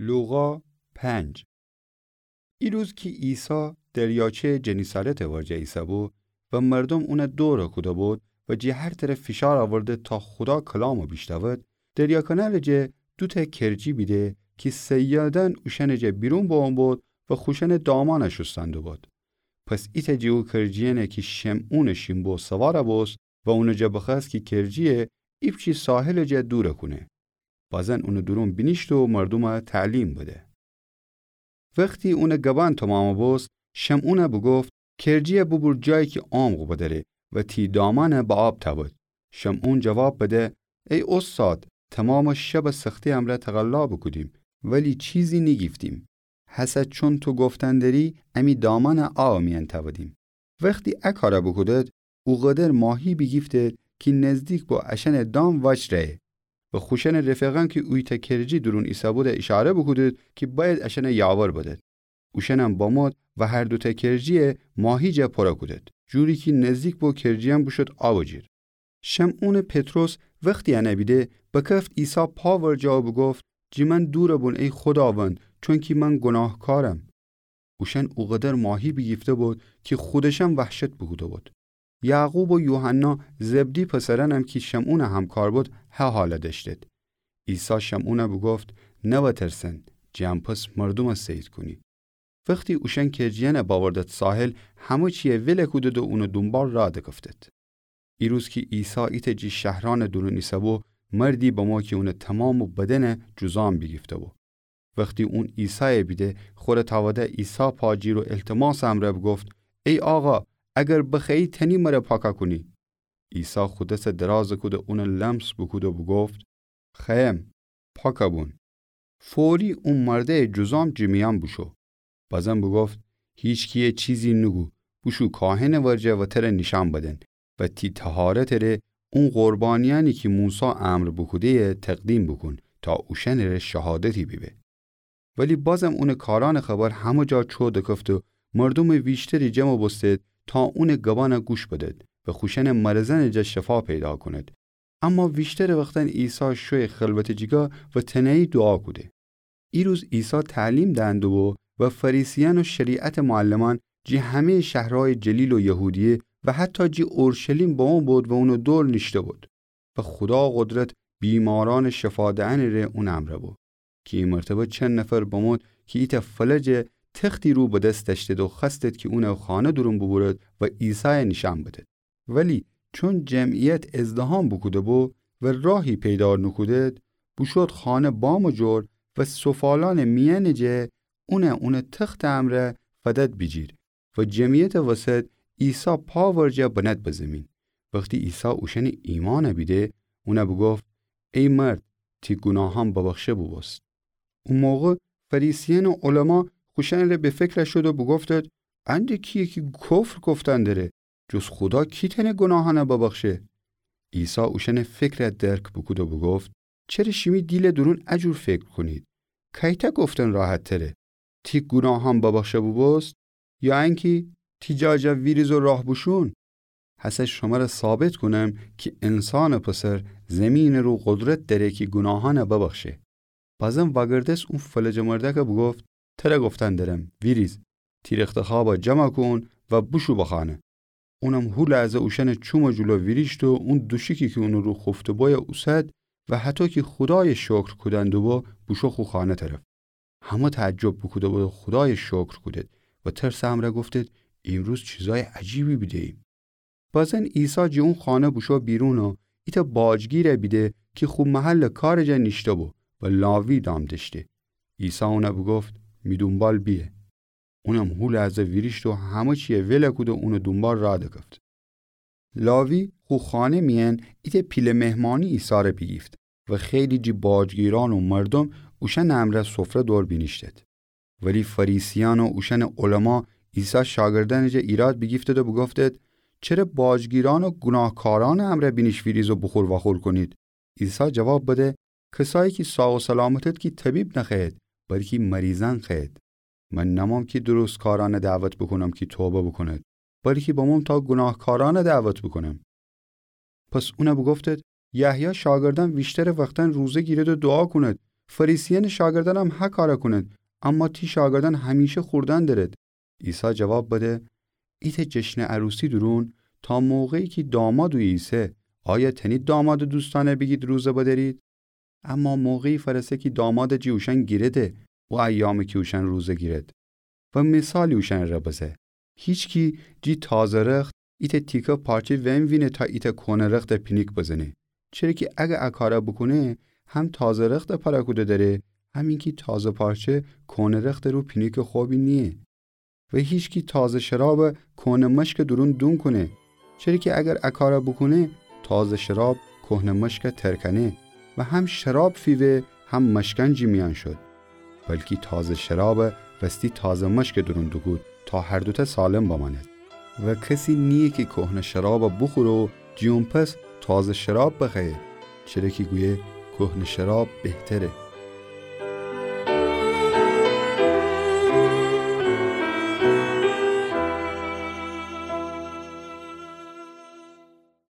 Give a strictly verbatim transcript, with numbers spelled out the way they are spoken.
لوقا پنج. ایروز کی عیسی دریاچه‌یٚ جنیسارتٚ ورجه ایسه‌بو و مردوم اونَ دورَ کوده‌بود و جی هر طرف فشار آورده تا خودا کلامَ بیشنود، دریا کنارٚ جا دوتأ کرجی بیده کی صیادأن اوشأنٚ جا بیرون بومبود و خوشأنٚ دامأنَ شوستن دوبود. پس ایتأ جٚه او کرجیأنَ کی شمعونٚ شین بو سوارَ بوست و اونٚ جا بخوأست کی کرجیَ ایپچی ساحلٚ جا دورَ کونه. بازن اونٚ دورون بینیشته و مردومَ تعلیم بده. وختی اونٚ گبأن تومامَ بوست، شمعونَ بوگفت: کرجیَ بوبور جایی کی عمق بدأره و تی دامأنَ به آب تأود. شمعون جواب بده: ای اوستاد، تومامٚ شبَ سختی امرأ تقلا بوکودیم، ولی چیزی نیگیفتیم. هسه چون تو گفتن دأری، امی دامأنَ آبٚ میأن تأودیم. وختی ا کارَ بوکودد، اوقدر ماهی بیگیفتد کی نزدیک بو اشأنٚ دام وأجره‌یه. و خوشأنٚ رفیقأن کی اویتأ کرجی دورون ایسه‌بودَ ایشاره بوکودد کی بأید اشأنَ یاور بدد. اوشأنم بمود و هر دوتأ کرجیَ ماهی جا پورَ کودد، جوری کی نزدیک بو کرجیأن بوشود آبٚ جیر. شمعونٚ پطرس وختی انَ بیده، بکفت عیسی پا ورجه و بوگفت: جٚه من دورَ بون ای خوداوند، چونکی من گوناهکارم. اوشأن اوقدر ماهی بیگیفته‌بود کی خودشم وحشت بوکوده‌بود. یعقوب و یوحنا، زبدی پسرأنم کی شمعونٚ همکار بود، هه حالَ دأشتید. عیسی شمعونَ بوگفت: نوترسن، جٚه ان پس مردومَ صید کونید. وختی اوشأن کرجیأنَ بأوردد ساحل، همه چیَ ولَ کودید و اونٚ دونبال راه دکفتید. ایروز کی عیسی ایتأ جٚه شهرأنٚ دورون ایسه‌بو، مردی بمو کی اونٚ تومامٚ بدنَ جذام بیگیفته‌بو. وختی اون عیسایَ بیده، خورَ تأوده عیسی پا جیر و التماسٚ امرأ بوگفت: ای آقا، اگر بخوأیی تأنی مرَ پاکَ کونی. عیسی خو دسَ درازَ کود و اونَ لمس بوکود و بوگفت: خوأیم، پاکَ بون. فوری او مردأیٚ جذام جٚه میأن بوشو. بازم بوگفت: هیچکیَ چیزی نوگو، بوشو کاهنٚ ورجه و تره نیشأن بدن و تی طهارتٚ ره اون قربانیأنی کی موسی امر بوکوده‌یه تقدیم بوکون تا اوشأنٚ ره شهادتی بیبه. ولی بازم اونٚ کارأنٚ خبر همه جا چو دکفت و مردومٚ ویشتری جمع بوستید تا اونٚ گبأنَ گوش بدید و خوشأنٚ مرضأنٚ جا شفا پیدا کونید. اما ویشترٚ وختأن عیسی شویه خلوتٚ جیگا و تنهایی دوعا کوده. ایروز عیسی تعلیم دئن دوبو و فریسیأن و شریعتٚ معلمأن جٚه همه‌یٚ شهرأنٚ جلیل و یهودیه و حتی جٚه اورشلیم بمو بود و اونٚ دور نیشته بود و خودا قدرت بیمارأنٚ شفا دئنٚ ره اونٚ امرأ بو. کی ای مرتبه چند نفر بمود کی ایتأ فلجٚ تختی رو به دس دأشتید و خوأستید کی اونٚ خانه دورون بوبورید و عیسایَ نیشأن بدید. ولی چون جمعیت ازدحام بوکوده بو و راهی پیدا نوکودید، بوشود خانه بامٚ جور و سفالأنٚ میأنٚ جا اونَ اونٚ تختٚ امرأ فدد بیجیر و جمعیتٚ وسط عیسی پا ورجه بنهد به زیمین. وختی عیسی اوشأنٚ ایمأنَ بیده، اونَ بوگفت: ای مرد، تی گوناهأن ببخشه بوبوست. او موقع فریسیأن و علما خوشأنٚ ره به فکر شد و بوگفتید: انده کیه کی کفر گفتن دره؟ جز خودا کی تأنه گوناهأنَ ببخشه؟ عیسی اوشأنٚ فکرَ درک بوکود و بوگفت: چره شیمی دیلٚ دورون ا جور فکر کونید؟ کایتأ گفتن راحت‌تره: تی گوناهأن ببخشه بوبوست، یا انکی تی جا جا ویریز و راه بوشون؟ هسه شمره ثابت کونم کی انسانٚ پسر زیمینٚ رو قدرت دأره کی گوناهأنَ ببخشه. بازم وأگردست اون فلجٚ مردأکَ بوگفت: تره گفتن درم، ویریز، تی رختخوابَ جمع کون و بوشو به خانه. اونم هو لحظه اوشأنٚ چومٚ جلو ویریشت و اون دوشیکی کی اونٚ رو خوفته‌بو اوسد و هطو کی خودایَ شکر کودن دوبو، بوشو خو خانه طرف. همه تعجب بوکوده‌بود و خودایَ شکر کودید و ترسٚ امرأ گفتید: ایمروز چیزأیٚ عجیبی بیده‌ییم. بازن عیسی جٚه اون خانه بوشو بیرون و ایتأ باجگیرَ بیده کی خو محلٚ کارٚ جا نیشته‌بو و لاوی نام دأشته. عیسی اونَ بوگفت: می دونبال بیه. اونم هو لحظه ویریشت و همه چیَ ولَ کود و اونٚ دونبال راه دکفت. لاوی خو خانه میأن ایتأ پیله مهمانی ایسارَ بیگیفت و خیلی جٚه باجگیرأن و مردوم اوشأنٚ امرأ سفره دور بینیشتید. ولی فریسیأن و اوشأنٚ علما عیسی شاگردأنٚ جا ایراد بیگیفتید و بوگفتید: چره باجگیرأن و گوناهکارأنٚ امرأ بینیش ویریز و بوخور وأخور کونید؟ عیسی جواب بده: کسایی کی ساق و سلامتید کی طبیب نخوأیید، بلکی مریضأن خوأیید. من نمام کی درستکارأنَ دعوت بوکونم کی توبه بوکونید، بلکی بموم تا گوناهکارأنَ دعوت بوکونم. پس اونَ بوگفتید: یحیی شاگردأن ویشترٚ وختأن روزه گیرید و دوعا کونید، فریسیأنٚ شاگردأنم هه کارَ کونید، اما تی شاگردأن همیشه خوردن دأرید. عیسی جواب بده: ایتأ جشنٚ عروسی دورون، تا موقعی کی داماد اویه ایسه، آیا تأنید دامادٚ دوستأنَ بیگید روزه بدأرید؟ اما موقعی فأرسه کی داماد جٚه اوشأن گیرده، او ایامی کی اوشأن روزه گیرید. و مثالی اوشأنٚره بزه: هیچکی جٚه تازه رخت ایتأ تیکه پارچه وینوینه تا ایتأ کوهنه رختَ پینیک بزنه. چره کی اگر ا کارَ بوکونه، هم تازه رختَ پرَ کوده دأره، هم اینکی تازه پارچه کوهنه رختٚ رو پینیکٚ خوبی نییه. و هیچکی تازه شرابَ کوهنه مشکٚ دورون دونکونه. چره کی اگر ا کارَ بوکونه، تازه شراب کوهنه مشکَ ترکأنه و هم شراب فیوه هم مشکأن جٚه میأن شد. بلکی تازه شرابَ وستی تازه مشکٚ دورون دوکود تا هر دوتأ سالم بمأنید. و کسی نییه کی کوهنه شرابَ بوخوره و جٚه اون‌پس تازه شراب بخوأیه، چره کی گویه کوهنه شراب بهتره.